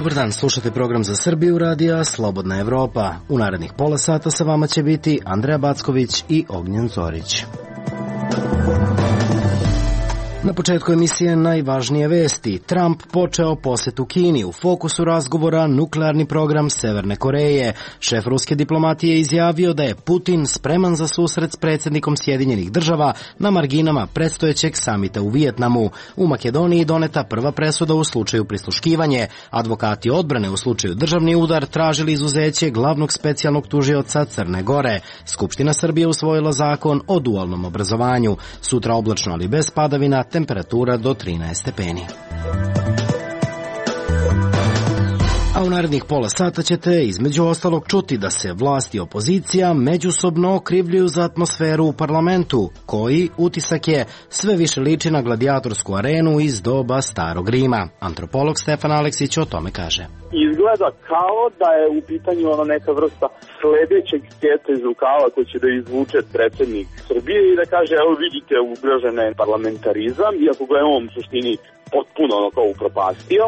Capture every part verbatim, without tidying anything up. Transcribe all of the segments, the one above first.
Dobar dan, slušate program za Srbiju radija Slobodna Evropa. U narednih pola sata sa vama će biti Andreja Backović i Ognjen Zorić. Na početku emisije najvažnije vesti. Trump počeo posetu Kini. U fokusu razgovora nuklearni program Severne Koreje. Šef ruske diplomatije izjavio da je Putin spreman za susret s predsjednikom Sjedinjenih država na marginama predstojećeg samita u Vijetnamu. U Makedoniji doneta prva presuda u slučaju prisluškivanje. Advokati odbrane u slučaju državni udar tražili izuzeće glavnog specijalnog tužioca Crne Gore. Skupština Srbije usvojila zakon o dualnom obrazovanju. Sutra oblačno, ali bez padavina, temperatura do trinaest stepeni. A u narednih pola sata ćete između ostalog čuti da se vlast i opozicija međusobno okrivljuju za atmosferu u parlamentu, koji, utisak je, sve više liči na gladijatorsku arenu iz doba Starog Rima. Antropolog Stefan Aleksić o tome kaže. Izgleda kao da je u pitanju ono neka vrsta sledećeg sketa iz rukava koji će da izvuče predsjednik Srbije i da kaže, evo vidite, ugrožen je parlamentarizam, iako ga je on u suštini potpuno ono kao upropastio.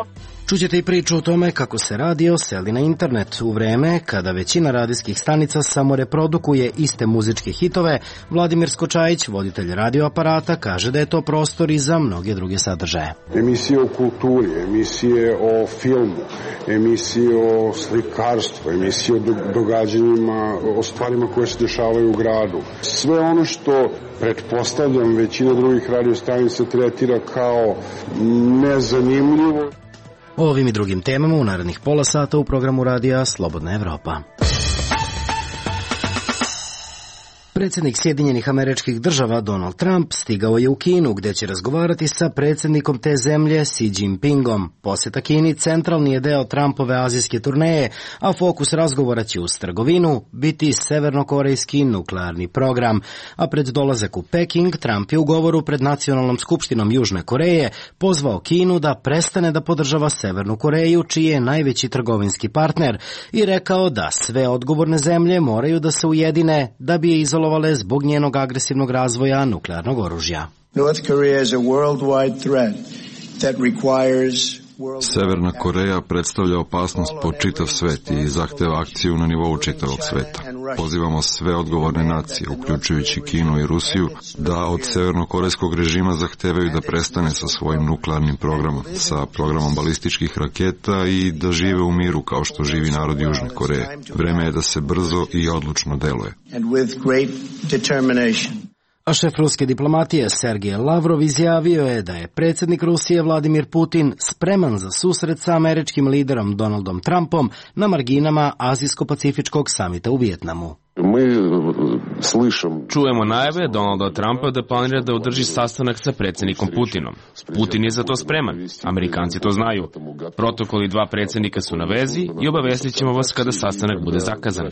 Čućete i priču o tome kako se radio seli na internet. U vreme kada većina radijskih stanica samo reprodukuje iste muzičke hitove, Vladimir Skočajić, voditelj radioaparata, kaže da je to prostor i za mnoge druge sadržaje. Emisije o kulturi, emisije o filmu, emisije o slikarstvu, emisije o događanjima, o stvarima koje se dešavaju u gradu. Sve ono što, pretpostavljam, većina drugih radiostanica tretira kao nezanimljivo. O ovim i drugim temama u narednih pola sata u programu radija Slobodna Evropa. Predsjednik Sjedinjenih Američkih Država Donald Trump stigao je u Kinu, gde će razgovarati sa predsjednikom te zemlje Xi Jinpingom. Posjeta Kini centralni je deo Trumpove azijske turneje, a fokus razgovora će uz trgovinu biti severnokorejski nuklearni program. A pred dolazak u Peking, Trump je u govoru pred Nacionalnom skupštinom Južne Koreje pozvao Kinu da prestane da podržava Severnu Koreju, čiji je najveći trgovinski partner, i rekao da sve odgovorne zemlje moraju da se ujedine da bi je izolovali zbog njenog agresivnog razvoja nuklearnog oružja. Severna Koreja predstavlja opasnost po čitav svet i zahteva akciju na nivou čitavog sveta. Pozivamo sve odgovorne nacije, uključujući Kinu i Rusiju, da od severnokorejskog režima zahtevaju da prestane sa svojim nuklearnim programom, sa programom balističkih raketa i da žive u miru kao što živi narod Južne Koreje. Vreme je da se brzo i odlučno deluje. A šef ruske diplomatije Sergej Lavrov izjavio je da je predsjednik Rusije Vladimir Putin spreman za susret sa američkim liderom Donaldom Trumpom na marginama Azijsko-pacifičkog samita u Vijetnamu. Čujemo najave Donalda Trumpa da planira da održi sastanak sa predsjednikom Putinom. Putin je za to spreman. Amerikanci to znaju. Protokoli dva predsjednika su na vezi i obavestit ćemo vas kada sastanak bude zakazan.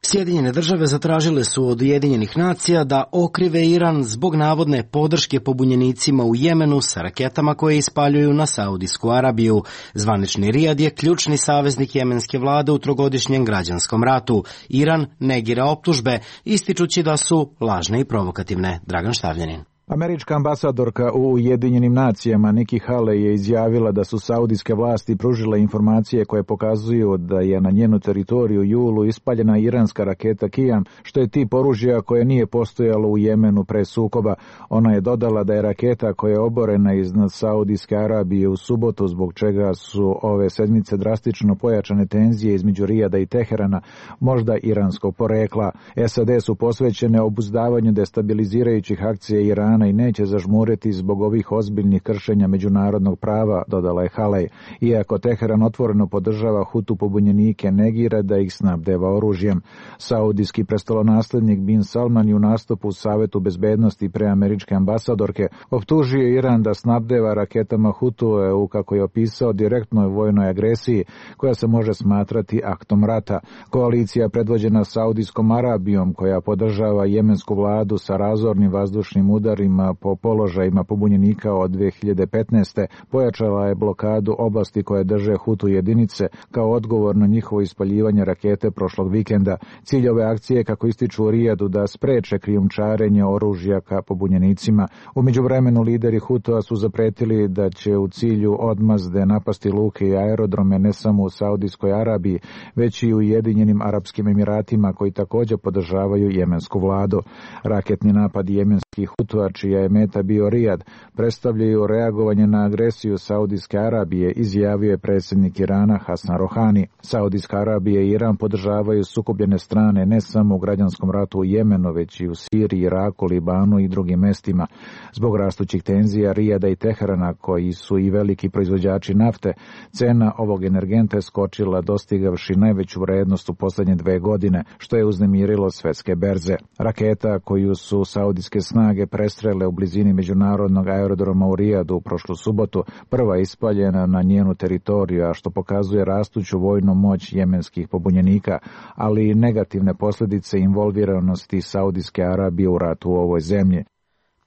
Sjedinjene države zatražile su od Ujedinjenih nacija da okrive Iran zbog navodne podrške pobunjenicima u Jemenu sa raketama koje ispaljuju na Saudijsku Arabiju. Zvanični Rijad je ključni saveznik jemenske vlade u trogodišnjem građanskom ratu. Iran negira optužbe, ističući da su lažne i provokativne. Dragan Štavljanin. Američka ambasadorka u Ujedinjenim nacijama Nikki Haley je izjavila da su saudijske vlasti pružile informacije koje pokazuju da je na njenu teritoriju u julu ispaljena iranska raketa Qian, što je tip oružja koje nije postojalo u Jemenu pre sukoba. Ona je dodala da je raketa koja je oborena iznad Saudijske Arabije u subotu, zbog čega su ove sedmice drastično pojačane tenzije između Rijada i Teherana, možda iranskog porekla. S A D su posvećene obuzdavanju destabilizirajućih akcija Irana i neće zažmuriti zbog ovih ozbiljnih kršenja međunarodnog prava, dodala je Halej. Iako Teheran otvoreno podržava Hutu pobunjenike, negira da ih snabdeva oružjem. Saudijski prestolonaslednik Bin Salman je u nastupu u Savetu bezbednosti pre američke ambasadorke optužio Iran da snabdeva raketama Hutue, kako je opisao, direktnoj vojnoj agresiji koja se može smatrati aktom rata. Koalicija predvođena Saudijskom Arabijom, koja podržava jemensku vladu sa razornim vazdušnim udarima kontrolima po položajima pobunjenika od dve hiljade petnaeste. Pojačala je blokadu oblasti koje drže Hutu jedinice kao odgovor na njihovo ispaljivanje rakete prošlog vikenda. Cilj ove akcije, kako ističu u Rijadu, da spreče krijumčarenje oružja ka pobunjenicima. U međuvremenu lideri Hutua su zapretili da će u cilju odmazde napasti luke i aerodrome ne samo u Saudijskoj Arabiji, već i u Ujedinjenim Arapskim Emiratima, koji također podržavaju jemensku vladu. Raketni napad jemenskih Hutua, čija je meta bio Rijad, predstavljaju reagovanje na agresiju Saudijske Arabije, izjavio je predsjednik Irana Hasan Rohani. Saudijska Arabija i Iran podržavaju sukobljene strane ne samo u građanskom ratu u Jemenu, već i u Siriji, Iraku, Libanu i drugim mestima. Zbog rastućih tenzija Rijada i Teherana, koji su i veliki proizvođači nafte, cena ovog energenta je skočila, dostigavši najveću vrednost u posljednje dve godine, što je uznemirilo svetske berze. Raketa koju su saudijske snage prestrele u blizini međunarodnog aerodroma u Rijadu u prošlu subotu, prva je ispaljena na njenu teritoriju, a što pokazuje rastuću vojnu moć jemenskih pobunjenika, ali i negativne posljedice involviranosti Saudijske Arabije u ratu u ovoj zemlji.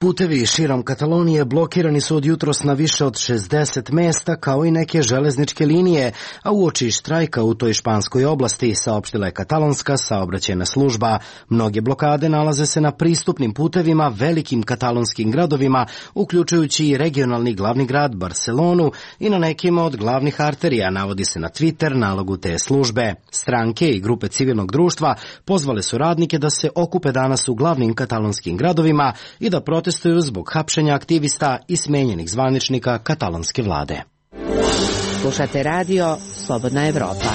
Putevi širom Katalonije blokirani su od jutros na više od šezdeset mesta, kao i neke železničke linije, a uoči štrajka u toj španskoj oblasti, saopštila je katalonska saobraćajna služba. Mnoge blokade nalaze se na pristupnim putevima velikim katalonskim gradovima, uključujući i regionalni glavni grad Barcelonu, i na nekima od glavnih arterija, navodi se na Twitter nalogu te službe. Stranke i grupe civilnog društva pozvale su radnike da se okupe danas u glavnim katalonskim gradovima i da protestuju zbog hapšenja aktivista i smenjenih zvaničnika katalonske vlade. Slušate radio Slobodna Evropa.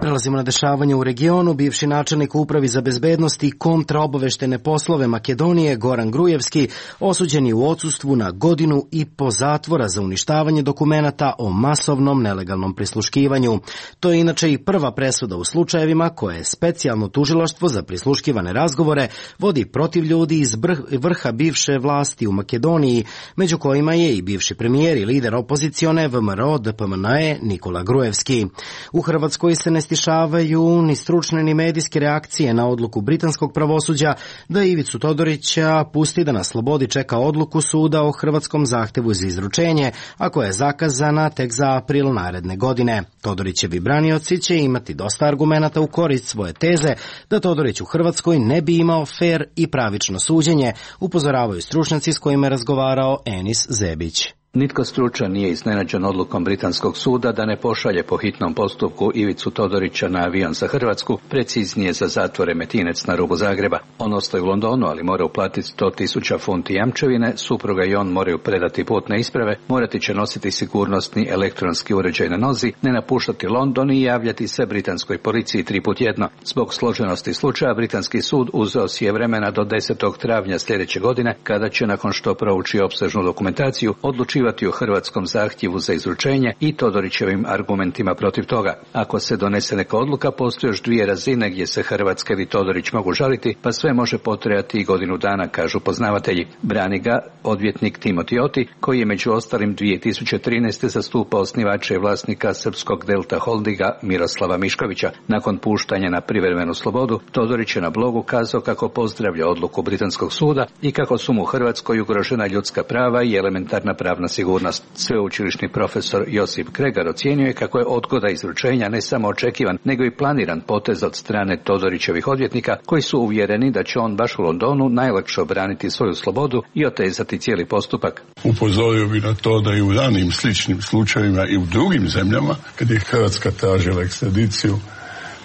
Prelazimo na dešavanje u regionu. Bivši načelnik Upravi za bezbednost i kontraobaveštene poslove Makedonije Goran Grujevski osuđen je u odsustvu na godinu i po zatvora za uništavanje dokumenata o masovnom nelegalnom prisluškivanju. To je inače i prva presuda u slučajevima koje je specijalno tužilaštvo za prisluškivane razgovore vodi protiv ljudi iz vrha bivše vlasti u Makedoniji, među kojima je i bivši premijer i lider opozicione V M R O D P M N E Nikola Grujevski. U Hrvatskoj se ne stišavaju ni stručne ni medijske reakcije na odluku britanskog pravosuđa da Ivicu Todorića pusti da na slobodi čeka odluku suda o hrvatskom zahtevu za izručenje, a koja je zakazana tek za april naredne godine. Todorićevi branioci će imati dosta argumenata u korist svoje teze da Todorić u Hrvatskoj ne bi imao fer i pravično suđenje, upozoravaju stručnjaci s kojima je razgovarao Enis Zebić. Nitko stručan nije iznenađen odlukom britanskog suda da ne pošalje po hitnom postupku Ivicu Todorića na avion za Hrvatsku, preciznije za zatvor Remetinec na rubu Zagreba. On ostaje u Londonu, ali mora uplatiti sto tisuća funti jamčevine, supruga i on moraju predati putne isprave, morati će nositi sigurnosni elektronski uređaj na nozi, ne napuštati London i javljati se britanskoj policiji tri put jedno. Zbog složenosti slučaja, britanski sud uzeo si je vremena do desetog travnja sljedeće godine, kada će, nakon što prouči opsežnu dokumentaciju, odlučiti o hrvatskom zahtjevu za izručenje i Todorićevim argumentima protiv toga. Ako se donese neka odluka, postoje još dvije razine gdje se Hrvatska i Todorić mogu žaliti, pa sve može potrajati i godinu dana, kažu poznavatelji. Brani ga odvjetnik Timothy Oti, koji je među ostalim dvije tisuće trinaeste zastupao osnivača i vlasnika srpskog Delta Holdinga Miroslava Miškovića. Nakon puštanja na privremenu slobodu, Todorić je na blogu kazao kako pozdravlja odluku britanskog suda i kako su mu u Hrvatskoj ugrožena ljudska prava i elementarna pravna sigurnost. Sveučilišni profesor Josip Kregar ocijenio je kako je odgoda izručenja ne samo očekivan, nego i planiran potez od strane Todorićevih odvjetnika, koji su uvjereni da će on baš u Londonu najlakše obraniti svoju slobodu i otezati cijeli postupak. Upozorio bi na to da i u ranim sličnim slučajevima i u drugim zemljama, kad je Hrvatska tražila ekstradiciju,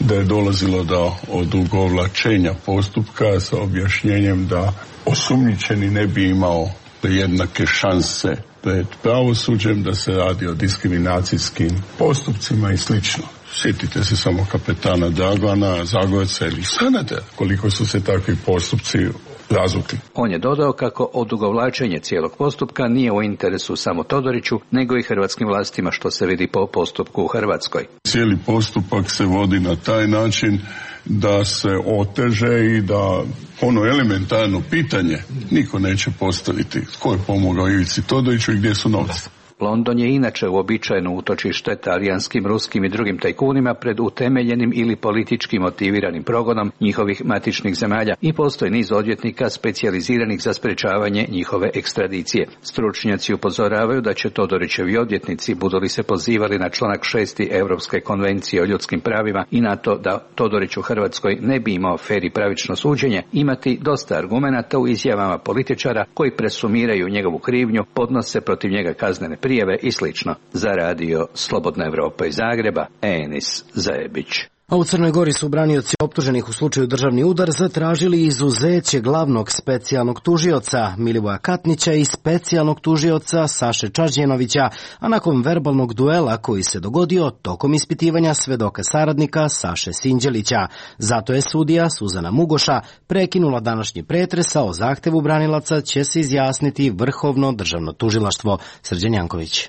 da je dolazilo do odugovlačenja postupka sa objašnjenjem da osumnjičeni ne bi imao jednake šanse pred pravosuđem, da se radi o diskriminacijskim postupcima i slično. Sjetite se samo kapetana Dragana, Zagorca ili Sanadera, koliko su se takvi postupci razvukli. On je dodao kako odugovlačenje cijelog postupka nije u interesu samo Todoriću, nego i hrvatskim vlastima, što se vidi po postupku u Hrvatskoj. Cijeli postupak se vodi na taj način da se oteže i da ono elementarno pitanje niko neće postaviti tko je pomogao Ivici Todoriću i gdje su novci. London je inače uobičajeno utočište talijanskim, ruskim i drugim tajkunima pred utemeljenim ili politički motiviranim progonom njihovih matičnih zemalja i postoji niz odvjetnika specijaliziranih za sprečavanje njihove ekstradicije. Stručnjaci upozoravaju da će Todorićevi odvjetnici, budu li se pozivali na članak šesti Europske konvencije o ljudskim pravima i na to da Todorić u Hrvatskoj ne bi imao fer i pravično suđenje, imati dosta argumenata u izjavama političara koji presumiraju njegovu krivnju, podnose protiv njega kaznene prijave i slično. Za radio Slobodna Evropa iz Zagreba, Enis Zajebić. A u Crnoj Gori su branioci optuženih u slučaju državni udar zatražili izuzeće glavnog specijalnog tužioca Milivoja Katnića i specijalnog tužioca Saše Čađenovića, a nakon verbalnog duela koji se dogodio tokom ispitivanja svedoka saradnika Saše Sinđelića. Zato je sudija Suzana Mugoša prekinula današnji pretres, a o zahtevu branilaca će se izjasniti Vrhovno državno tužilaštvo. Srđan Janković.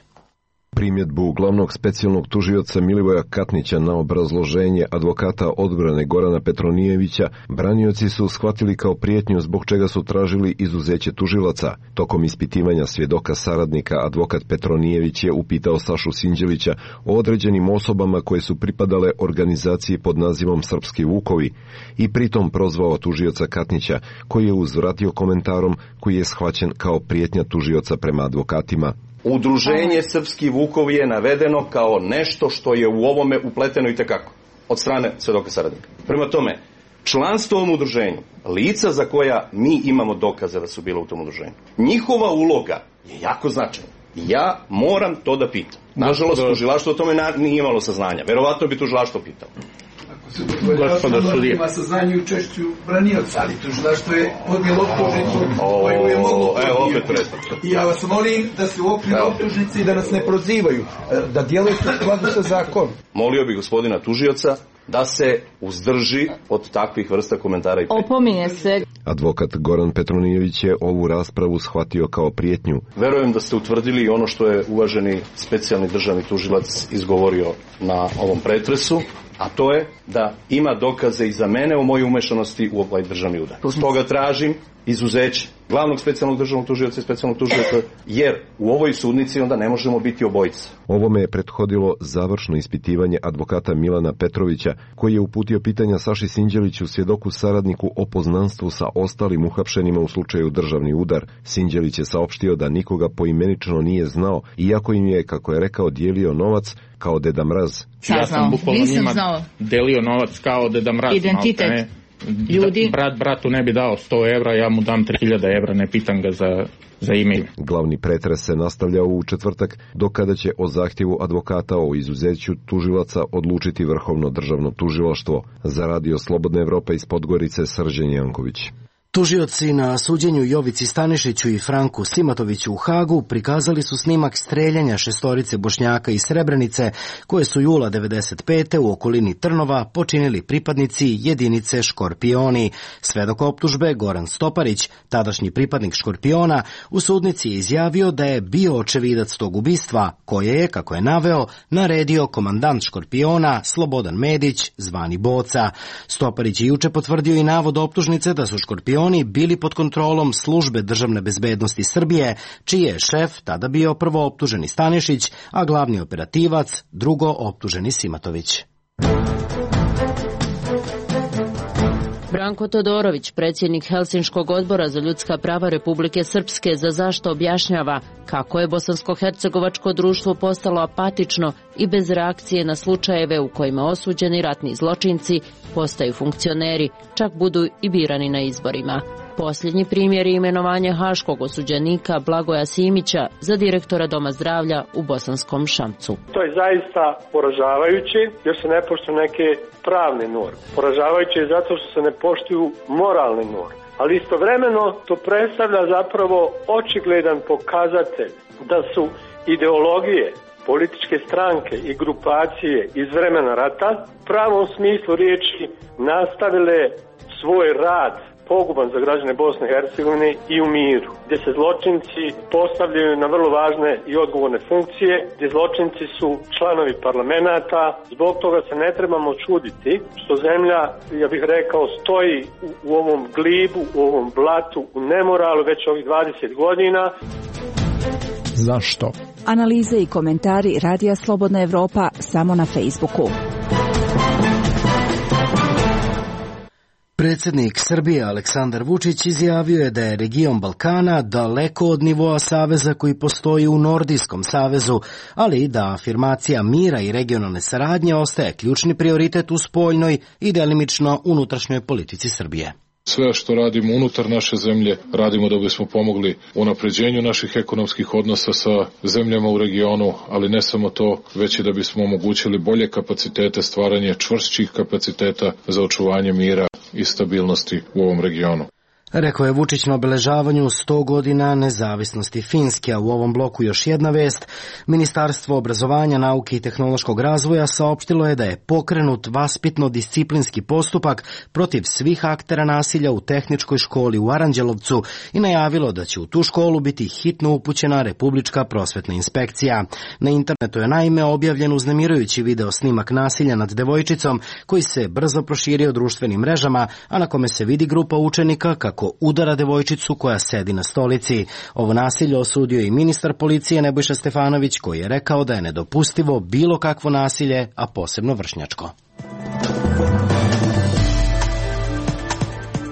Primjedbu glavnog specijalnog tužioca Milivoja Katnića na obrazloženje advokata odbrane Gorana Petronijevića branioci su shvatili kao prijetnju zbog čega su tražili izuzeće tužilaca. Tokom ispitivanja svjedoka saradnika advokat Petronijević je upitao Sašu Sinđelića o određenim osobama koje su pripadale organizaciji pod nazivom Srpski Vukovi i pritom prozvao tužioca Katnića, koji je uzvratio komentarom koji je shvaćen kao prijetnja tužioca prema advokatima. Udruženje Srpski Vukovi je navedeno kao nešto što je u ovome upleteno itekako od strane svedoka saradnika. Prema tome, članstvo u ovom udruženju, lica za koja mi imamo dokaze da su bila u tom udruženju, njihova uloga je jako značajna. Ja moram to da pitam. Nažalost, tužilaštvo o tome nije imalo saznanja. Verovatno bi tužilaštvo pitalo. Gospodo sudije. Ima saznanje u učešću branioca, ali tužilaštvo je podnijelo optužnicu koju je moglo podnijeti. I ja vas molim da se u okviru optužnice i da nas ne prozivaju, da djelujete u skladu sa zakonom. Molio bih gospodina tužioca da se uzdrži od takvih vrsta komentara i prijetnje. Opominje se. Advokat Goran Petronijević je ovu raspravu shvatio kao prijetnju. Verujem da ste utvrdili ono što je uvaženi specijalni državni tužilac izgovorio na ovom pretresu, a to je da ima dokaze i za mene o mojoj umešanosti u ovaj državni udar. Stoga tražim izuzeće glavnog specijalnog državnog tužioca i specijalnog tužioca, jer u ovoj sudnici onda ne možemo biti obojica. Ovome je prethodilo završno ispitivanje advokata Milana Petrovića, koji je uputio pitanja Saši Sinđeliću, svjedoku saradniku, o poznanstvu sa ostalim uhapšenima u slučaju državni udar. Sinđelić je saopštio da nikoga poimenično nije znao, iako im je, kako je rekao, dijelio novac kao Deda Mraz. Ja sam bukvalno njima delio novac kao Deda Mraz. Identitet ne, ljudi. Brat bratu ne bi dao sto evra, ja mu dam tri hiljade evra, ne pitam ga za, za ime. Glavni pretres se nastavlja u četvrtak, do kada će o zahtjevu advokata o izuzeću tužilaca odlučiti Vrhovno državno tužilaštvo. Za radio Slobodna Evropa iz Podgorice, Srđan Janković. Tužioci na suđenju Jovici Stanišiću i Franku Simatoviću u Hagu prikazali su snimak streljanja šestorice Bošnjaka iz Srebrenice, koje su jula devedeset pete u okolini Trnova počinili pripadnici jedinice Škorpioni. Svedok optužbe Goran Stoparić, tadašnji pripadnik Škorpiona, u sudnici je izjavio da je bio očevidac tog ubistva, koje je, kako je naveo, naredio komandant Škorpiona Slobodan Medić, zvani Boca. Stoparić je juče potvrdio i navod optužnice da su Škorpioni Oni bili pod kontrolom Službe državne bezbednosti Srbije, čiji je šef tada bio prvo optuženi Stanišić, a glavni operativac drugo optuženi Simatović. Branko Todorović, predsjednik Helsinškog odbora za ljudska prava Republike Srpske, za zašto objašnjava kako je bosansko-hercegovačko društvo postalo apatično i bez reakcije na slučajeve u kojima osuđeni ratni zločinci postaju funkcioneri, čak budu i birani na izborima. Posljednji primjer je imenovanje haškog osuđenika Blagoja Simića za direktora Doma zdravlja u Bosanskom Šamcu. To je zaista poražavajuće jer se ne poštuju neke pravne norme. Poražavajuće je zato što se ne poštuju moralne norme. Ali istovremeno to predstavlja zapravo očigledan pokazatelj da su ideologije, političke stranke i grupacije iz vremena rata u pravom smislu riječi nastavile svoj rad poguban za građane Bosne i Hercegovine i u miru, gdje se zločinci postavljaju na vrlo važne i odgovorne funkcije, gdje zločinci su članovi parlamenta. Zbog toga se ne trebamo čuditi što zemlja, ja bih rekao, stoji u, u ovom glibu, u ovom blatu, u nemoralu već ovih dvadeset godina. Zašto? Analize i komentari Radija Slobodna Evropa samo na Facebooku. Predsjednik Srbije Aleksandar Vučić izjavio je da je region Balkana daleko od nivoa saveza koji postoji u Nordijskom savezu, ali da afirmacija mira i regionalne saradnje ostaje ključni prioritet u spoljnoj i delimično unutrašnjoj politici Srbije. Sve što radimo unutar naše zemlje, radimo da bismo pomogli unapređenju naših ekonomskih odnosa sa zemljama u regionu, ali ne samo to, već i da bismo omogućili bolje kapacitete, stvaranje čvršćih kapaciteta za očuvanje mira i stabilnosti u ovom regionu. Rekao je Vučić na obeležavanju sto godina nezavisnosti Finske, a u ovom bloku još jedna vest. Ministarstvo obrazovanja, nauke i tehnološkog razvoja saopštilo je da je pokrenut vaspitno-disciplinski postupak protiv svih aktera nasilja u tehničkoj školi u Aranđelovcu i najavilo da će u tu školu biti hitno upućena Republička prosvetna inspekcija. Na internetu je naime objavljen uznemirujući video snimak nasilja nad devojčicom koji se brzo proširio društvenim mrežama, a na kome se vidi grupa učenika kako ko udara devojčicu koja sedi na stolici. Ovo nasilje osudio i ministar policije Nebojša Stefanović, koji je rekao da je nedopustivo bilo kakvo nasilje, a posebno vršnjačko.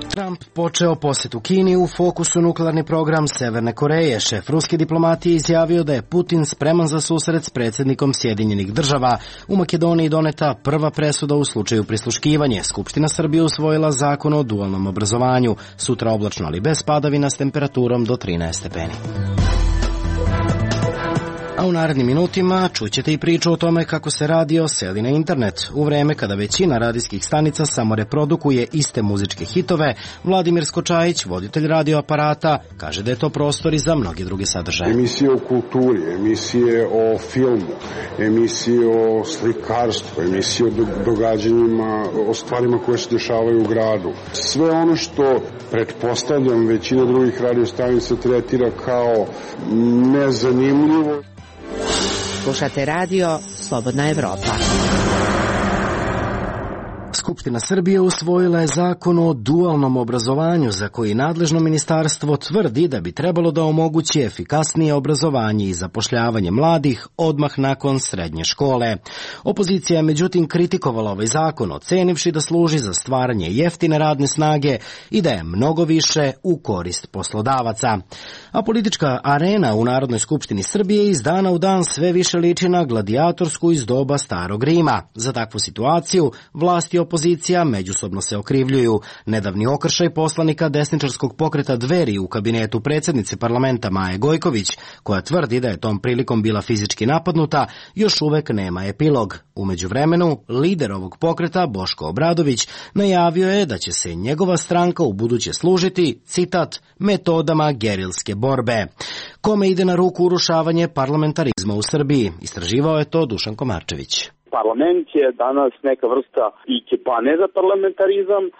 Trump počeo posjetu Kini, u fokusu nuklearni program Severne Koreje. Šef ruske diplomatije izjavio da je Putin spreman za susret s predsjednikom Sjedinjenih država. U Makedoniji doneta prva presuda u slučaju prisluškivanja. Skupština Srbije usvojila zakon o dualnom obrazovanju. Sutra oblačno, ali bez padavina, s temperaturom do trinaest stepeni. A u narednim minutima čućete i priču o tome kako se radio seli na internet. U vreme kada većina radijskih stanica samo reprodukuje iste muzičke hitove, Vladimir Skočajić, voditelj radioaparata, kaže da je to prostor i za mnoge druge sadržaje. Emisije o kulturi, emisije o filmu, emisije o slikarstvu, emisije o događanjima, o stvarima koje se dešavaju u gradu. Sve ono što, pretpostavljam, većina drugih radiostanica tretira kao nezanimljivo. Slušate radio Slobodna Evropa. Skupština Srbije usvojila je zakon o dualnom obrazovanju za koji nadležno ministarstvo tvrdi da bi trebalo da omogući efikasnije obrazovanje i zapošljavanje mladih odmah nakon srednje škole. Opozicija je međutim kritikovala ovaj zakon, ocenivši da služi za stvaranje jeftine radne snage i da je mnogo više u korist poslodavaca. A politička arena u Narodnoj skupštini Srbije iz dana u dan sve više liči na gladijatorsku iz doba Starog Rima. Za takvu situaciju vlasti opozicija međusobno se okrivljuju. Nedavni okršaj poslanika desničarskog pokreta Dveri u kabinetu predsjednice parlamenta Maje Gojković, koja tvrdi da je tom prilikom bila fizički napadnuta, još uvek nema epilog. U međuvremenu, lider ovog pokreta, Boško Obradović, najavio je da će se njegova stranka u buduće služiti, citat, metodama gerilske borbe. Kome ide na ruku urušavanje parlamentarizma u Srbiji? Istraživao je to Dušan Komarčević. Parlament je danas neka vrsta ikebane za parlamentarizam. E,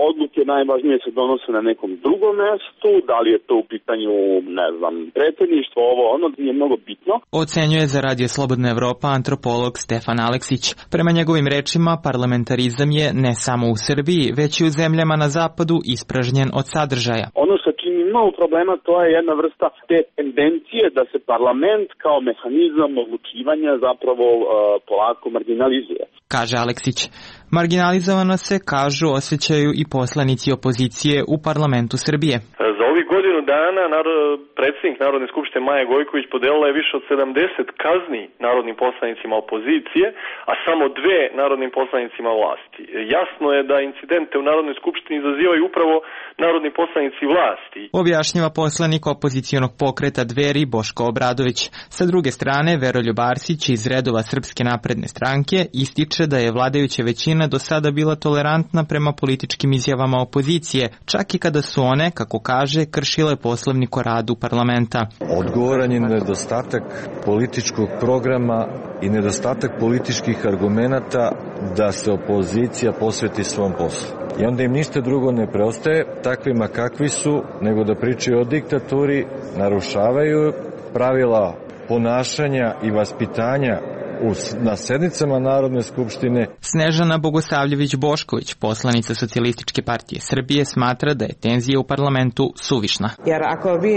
odluke najvažnije se donose na nekom drugom mestu, da li je to u pitanju, ne znam, predsjedništvo, ovo, ono nije mnogo bitno. Ocenjuje za Radio Slobodna Evropa antropolog Stefan Aleksić. Prema njegovim rečima, parlamentarizam je ne samo u Srbiji, već i u zemljama na zapadu ispražnjen od sadržaja. Ono što čini mnogo problema, to je jedna vrsta te tendencije da se parlament kao mehanizam odlučivanja zapravo uh, polako marginalizuje. Kaže Aleksić. Marginalizovano se, kažu, osjećaju i poslanici opozicije u parlamentu Srbije. Za ovih godinu dana predsjednik Narodne skupštine Maja Gojković podelila je više od sedamdeset kazni narodnim poslanicima opozicije, a samo dve narodnim poslanicima vlasti. Jasno je da incidente u Narodnoj skupštini izazivaju upravo narodni poslanici vlasti. Objašnjava poslanik opozicionog pokreta Dveri Boško Obradović. Sa druge strane, Veroljub Arsić iz redova Srpske napredne stranke ističe da je vladajuća većina do sada bila tolerantna prema političkim izjavama opozicije, čak i kada su one, kako kaže, kršile poslovnik o radu parlamenta. Odgovoran je nedostatak političkog programa i nedostatak političkih argumenata da se opozicija posveti svom poslu. I onda im ništa drugo ne preostaje, takvima kakvi su, nego da pričaju o diktaturi, narušavaju pravila ponašanja i vaspitanja na sednicama Narodne skupštine. Snežana Bogosavljević-Bošković, poslanica Socijalističke partije Srbije, smatra da je tenzija u parlamentu suvišna. Jer ako vi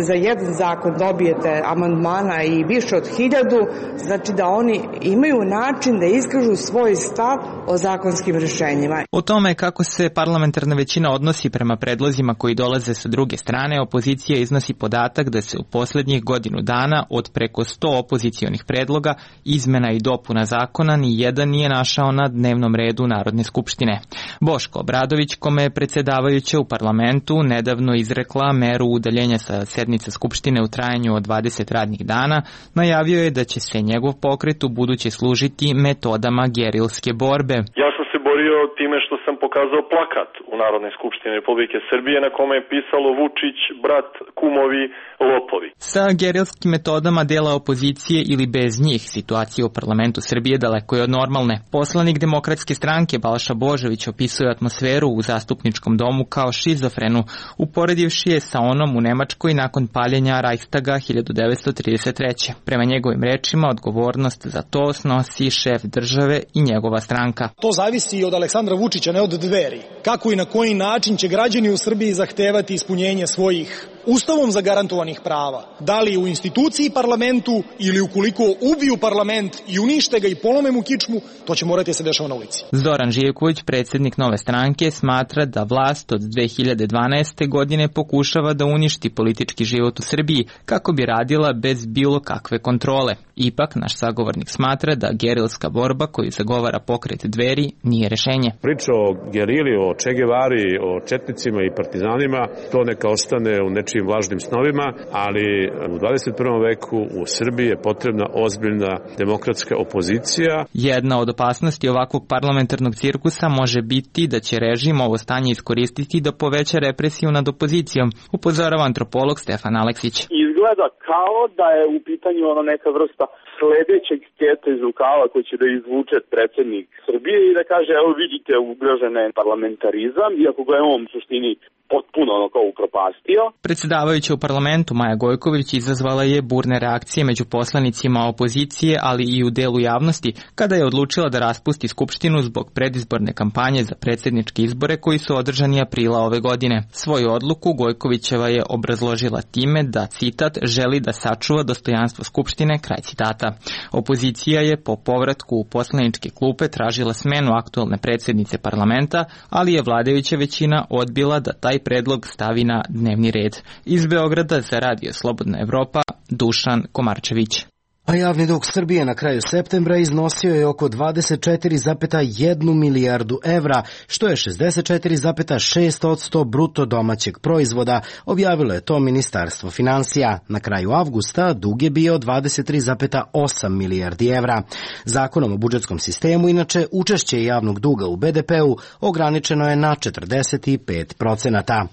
za jedan zakon dobijete amandmana i više od hiljadu, znači da oni imaju način da iskažu svoj stav o zakonskim rešenjima. O tome kako se parlamentarna većina odnosi prema predlozima koji dolaze sa druge strane, opozicija iznosi podatak da se u poslednjih godinu dana od preko sto opozicionih predloga, izmena i dopuna zakona, ni jedan nije našao na dnevnom redu Narodne skupštine. Boško Obradović, kome je predsjedavajuća u parlamentu nedavno izrekla meru udaljenja sa sednice skupštine u trajanju od dvadeset radnih dana, najavio je da će se njegov pokret u buduće služiti metodama gerilske borbe. Ja sam se borio time što sam pokazao plakat u Narodnoj skupštini Republike Srbije na kome je pisalo Vučić, brat, kumovi, lopovi. Sa gerilskim metodama dela opozicije ili bez njih situacija u parlamentu Srbije daleko je od normalne. Poslanik Demokratske stranke Balša Božović opisuje atmosferu u zastupničkom domu kao šizofrenu, uporedivši je sa onom u Nemačkoj nakon paljenja Reichstaga hiljadu devetsto trideset treće. Prema njegovim rečima, odgovornost za to snosi šef države i njegova stranka. To zavisi od Aleksandra Vučića, ne od Dveri. Kako i na koji način će građani u Srbiji zahtevati ispunjenje svojih Ustavom zagarantovanih prava, da li u instituciji parlamentu ili ukoliko ubiju parlament i unište ga i polome mu kičmu, to će morati se dešava na ulici. Zoran Živković, predsjednik Nove stranke, smatra da vlast od dve hiljade dvanaeste. godine pokušava da uništi politički život u Srbiji kako bi radila bez bilo kakve kontrole. Ipak, naš sagovornik smatra da gerilska borba koju zagovara pokret Dveri nije rešenje. Priča o gerili, o Che Guevari, o četnicima i partizanima, to neka ostane u nečijim vlažnim snovima, ali u dvadeset prvom veku u Srbiji je potrebna ozbiljna demokratska opozicija. Jedna od opasnosti ovakvog parlamentarnog cirkusa može biti da će režim ovo stanje iskoristiti da poveća represiju nad opozicijom, upozorava antropolog Stefan Aleksić. Izgleda kao da je u pitanju ono neka vrsta sledećeg sketa iz rukava koji će da izvuče predsjednik Srbije i da kaže, evo vidite, ugrožen je parlamentarizam, iako ga je on u suštini potpuno ono kao upropastio. Predsjedavajuća u parlamentu Maja Gojković izazvala je burne reakcije među poslanicima opozicije, ali i u delu javnosti, kada je odlučila da raspusti skupštinu zbog predizborne kampanje za predsjedničke izbore koji su održani aprila ove godine. Svoju odluku Gojkovićeva je obrazložila time da, citat, želi da sačuva dostojanstvo skupštine, kraj citata. Opozicija je po povratku u poslaničke klupe tražila smenu aktualne predsjednice parlamenta, ali je vladajuća većina odbila da taj predlog stavi na dnevni red. Iz Beograda za Radio Slobodna Evropa, Dušan Komarčević. A javni dug Srbije na kraju septembra iznosio je oko dvadeset četiri zarez jedan milijardu evra, što je šezdeset četiri zarez šest posto bruto domaćeg proizvoda, objavilo je to Ministarstvo finansija. Na kraju avgusta dug je bio dvadeset tri zarez osam milijardi evra. Zakonom o budžetskom sistemu, inače, učešće javnog duga u be de pe-u ograničeno je na četrdeset pet procenata.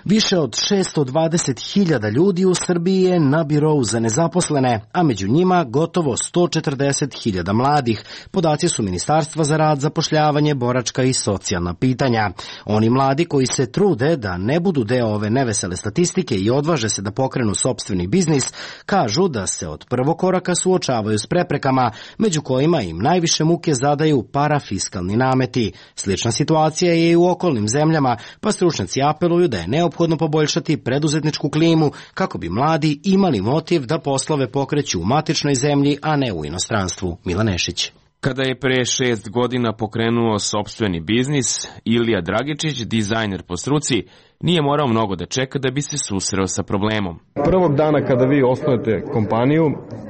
Više od šesto dvadeset hiljada ljudi u Srbiji je na birou za nezaposlene, a među njima gotovo sto četrdeset hiljada mladih. Podaci su Ministarstva za rad, zapošljavanje, boračka i socijalna pitanja. Oni mladi koji se trude da ne budu deo ove nevesele statistike i odvaže se da pokrenu sopstveni biznis, kažu da se od prvog koraka suočavaju s preprekama, među kojima im najviše muke zadaju parafiskalni nameti. Slična situacija je i u okolnim zemljama, pa stručnjaci apeluju da je neophodno poboljšati preduzetničku klimu kako bi mladi imali motiv da poslove pokreću u matičnoj zemlji, a ne u inostranstvu. Milan Nešić. Kada je pre šest godina pokrenuo sopstveni biznis, Ilija Dragičić, dizajner po struci, nije morao mnogo da čeka da bi se susreo sa problemom. Prvog dana kada vi osnujete kompaniju,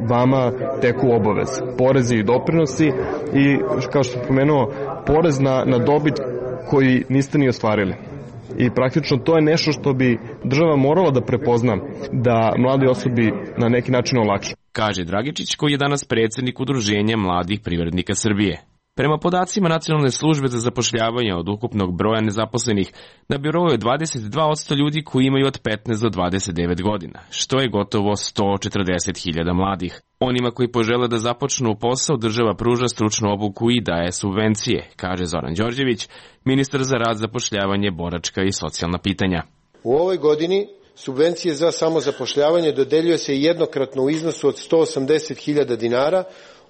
vama teku obaveze, porezi i doprinosi i, kao što sam pomenuo, porez na, na dobit koji niste ni ostvarili. I praktično to je nešto što bi država morala da prepozna, da mladi osobi na neki način olakša. Kaže Dragičić, koji je danas predsjednik Udruženja mladih privrednika Srbije. Prema podacima Nacionalne službe za zapošljavanje od ukupnog broja nezaposlenih, na birou je dvadeset dva posto ljudi koji imaju od petnaest do dvadeset devet godina, što je gotovo sto četrdeset hiljada mladih. Onima koji požele da započnu posao, država pruža stručnu obuku i daje subvencije, kaže Zoran Đorđević, ministar za rad, zapošljavanje, boračka i socijalna pitanja. U ovoj godini subvencije za samozapošljavanje dodeljuje se jednokratno u iznosu od sto osamdeset hiljada dinara,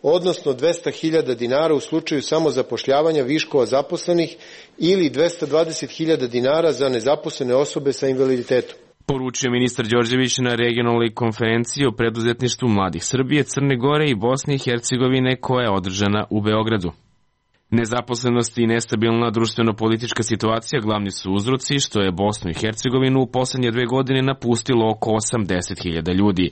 odnosno dvesta hiljada dinara u slučaju samozapošljavanja viškova zaposlenih ili dvesta dvadeset hiljada dinara za nezaposlene osobe sa invaliditetom. Poručio ministar Đorđević na regionalnoj konferenciji o preduzetništvu mladih Srbije, Crne Gore i Bosne i Hercegovine koja je održana u Beogradu. Nezaposlenost i nestabilna društveno-politička situacija glavni su uzroci što je Bosnu i Hercegovinu u poslednje dve godine napustilo oko osamdeset hiljada ljudi.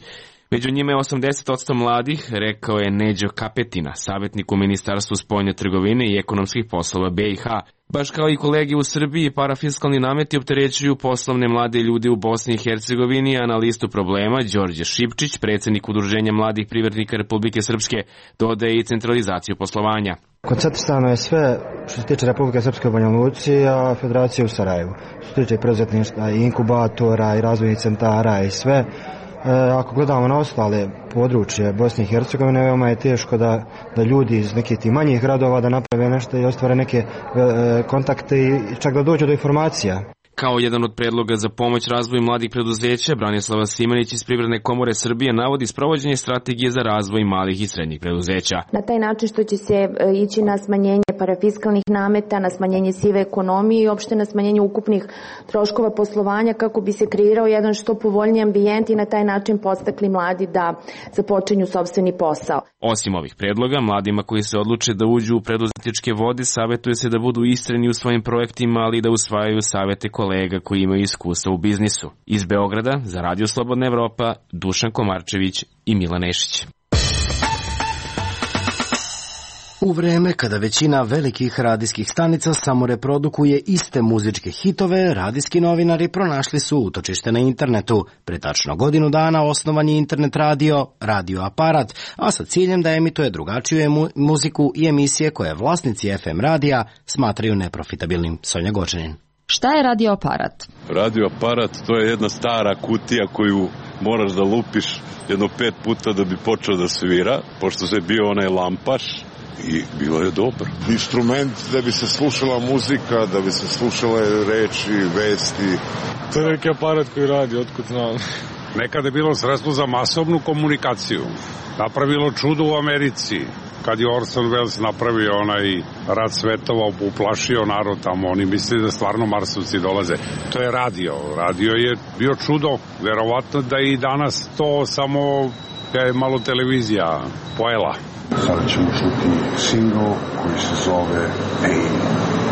Među njima je osamdeset posto mladih, rekao je Neđo Kapetina, savjetnik u Ministarstvu spoljne trgovine i ekonomskih poslova B i H. Baš kao i kolege u Srbiji, parafiskalni nameti opterećuju poslovne mlade ljude u Bosni i Hercegovini, a na listu problema Đorđe Šipčić, predsjednik Udruženja mladih privrednika Republike Srpske, dodaje i centralizaciju poslovanja. Koncentrisano je sve što se tiče Republike Srpske u Banja Luci, a Federacije u Sarajevu. Što se tiče preduzetništva i inkubatora i razvojnih centara i sve. E, ako gledamo na ostale područje Bosne i Hercegovine, veoma je teško da, da ljudi iz nekih tih manjih gradova da naprave nešto i ostvare neke e, kontakte i čak da dođu do informacija. Kao jedan od predloga za pomoć razvoju mladih preduzeća, Branislava Simanić iz Privredne komore Srbije navodi sprovođenje strategije za razvoj malih i srednjih preduzeća. Na taj način što će se ići na smanjenje parafiskalnih nameta, na smanjenje sive ekonomije i opšte na smanjenje ukupnih troškova poslovanja kako bi se kreirao jedan što povoljniji ambijent i na taj način podstakli mladi da započinju sopstveni posao. Osim ovih predloga, mladima koji se odluče da uđu u preduzetničke vode savjetuje se da budu istreni u svojim projektima, ali i da usvajaju savete kolega koji imaju iskustva u biznisu. Iz Beograda, za Radio Slobodna Evropa, Dušan Komarčević i Milan Nešić. U vreme kada većina velikih radijskih stanica samo reprodukuje iste muzičke hitove, radijski novinari pronašli su utočište na internetu. Pre tačno godinu dana osnovan je internet radio, Radio Aparat, a sa ciljem da emituje drugačiju emu, muziku i emisije koje vlasnici F M radija smatraju neprofitabilnim. Sonja Gočanin. Šta je Radio Aparat? Radio Aparat to je jedna stara kutija koju moraš da lupiš jedno pet puta da bi počeo da svira, pošto se bio onaj lampaš. I bilo je dobro. Instrument da bi se slušala muzika, da bi se slušale reči, vesti. To je neki aparat koji radi, otkud znam. Nekada je bilo sredstvo za masovnu komunikaciju. Napravilo čudo u Americi. Kad je Orson Welles napravio onaj Rat svetova, uplašio narod tamo, oni mislili da stvarno Marsovci dolaze. To je radio. Radio je bio čudo. Verovatno da i danas to samo je malo televizija pojela. Sada ćemo čuti singl koji se zove Pain.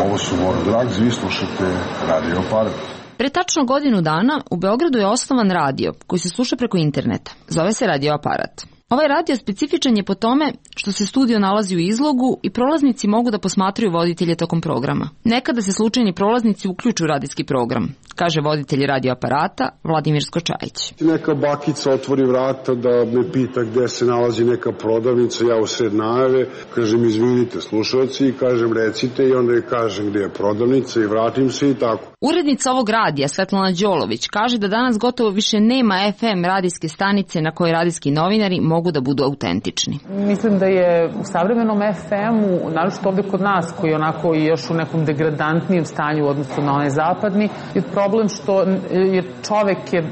Ovo su More Drugs, vi slušate Radio Aparat. Pre tačno godinu dana u Beogradu je osnovan radio koji se sluša preko interneta. Zove se Radio Aparat. Ovaj radio specifičan je po tome što se studio nalazi u izlogu i prolaznici mogu da posmatraju voditelje tokom programa. Nekada se slučajni prolaznici uključuju radijski program, kaže voditelj Radio Aparata Vladimir Skočajić. Neka bakica otvori vrata da me pita gde se nalazi neka prodavnica, ja usred najave, kažem izvinite slušalci i kažem recite i onda je kažem gde je prodavnica i vratim se i tako. Urednica ovog radija Svetlana Đolović kaže da danas gotovo više nema F M radijske stanice na kojoj radijski novinari mogu da budu autentični. Mislim da je u savremenom F M-u, naročito ovde kod nas, koji je onako još u nekom degradantnijem stanju u odnosu na onaj zapadni, je problem što je čovek je e,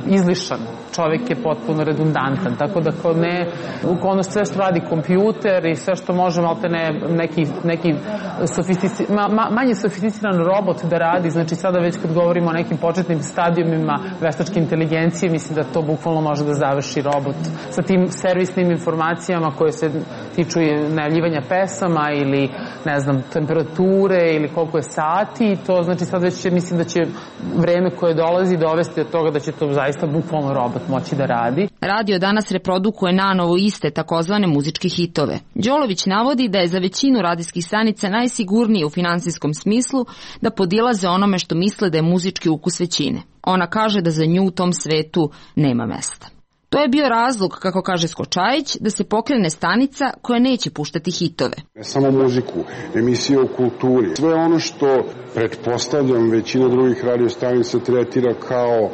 izlišan. Čovek je potpuno redundantan, tako da ko ne, ono sve što radi kompjuter i sve što može malte ne, neki, neki sofistici, ma, ma, manje sofisticiran robot da radi, znači sada već kad govorimo o nekim početnim stadijumima veštačke inteligencije, mislim da to bukvalno može da završi robot sa tim servisnim informacijama koje se tiču najavljivanja pesama ili ne znam, temperature ili koliko je sati, to znači sad već mislim da će vreme koje dolazi dovesti od toga da će to zaista bukvalno robot moći da radi. Radio danas reprodukuje nanovo iste takozvane muzičke hitove. Đolović navodi da je za većinu radijskih stanica najsigurnije u finansijskom smislu da podilaze onome što misle da je muzički ukus većine. Ona kaže da za nju u tom svetu nema mesta. To je bio razlog, kako kaže Skočajić, da se pokrene stanica koja neće puštati hitove. Ne samo muziku, emisije o kulturi. Sve ono što, pretpostavljam, većina drugih radiostanica tretira kao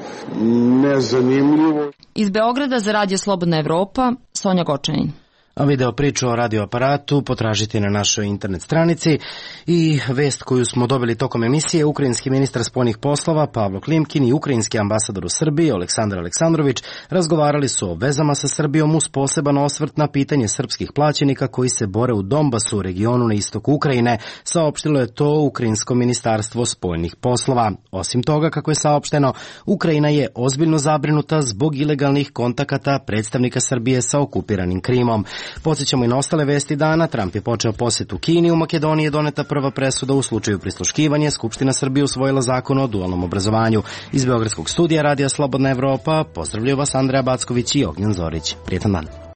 nezanimljivo. Iz Beograda za Radio Slobodna Evropa, Sonja Gočanin. A video priču o radioaparatu potražite na našoj internet stranici i vest koju smo dobili tokom emisije, ukrajinski ministar spoljnih poslova Pavlo Klimkin i ukrajinski ambasador u Srbiji Aleksandar Aleksandrović razgovarali su o vezama sa Srbijom uz poseban osvrt na pitanje srpskih plaćenika koji se bore u Donbasu, u regionu na istoku Ukrajine, saopštilo je to Ukrajinsko ministarstvo spoljnih poslova. Osim toga, kako je saopšteno, Ukrajina je ozbiljno zabrinuta zbog ilegalnih kontakata predstavnika Srbije sa okupiranim Krimom. Podsjećamo i na ostale vesti dana. Trump je počeo posetu Kini. U Makedoniji je doneta prva presuda u slučaju prisluškivanja. Skupština Srbije usvojila zakon o dualnom obrazovanju. Iz Beogradskog studija Radija Slobodna Evropa pozdravljaju vas Andreja Backović i Ognjen Zorić. Prijetan dan.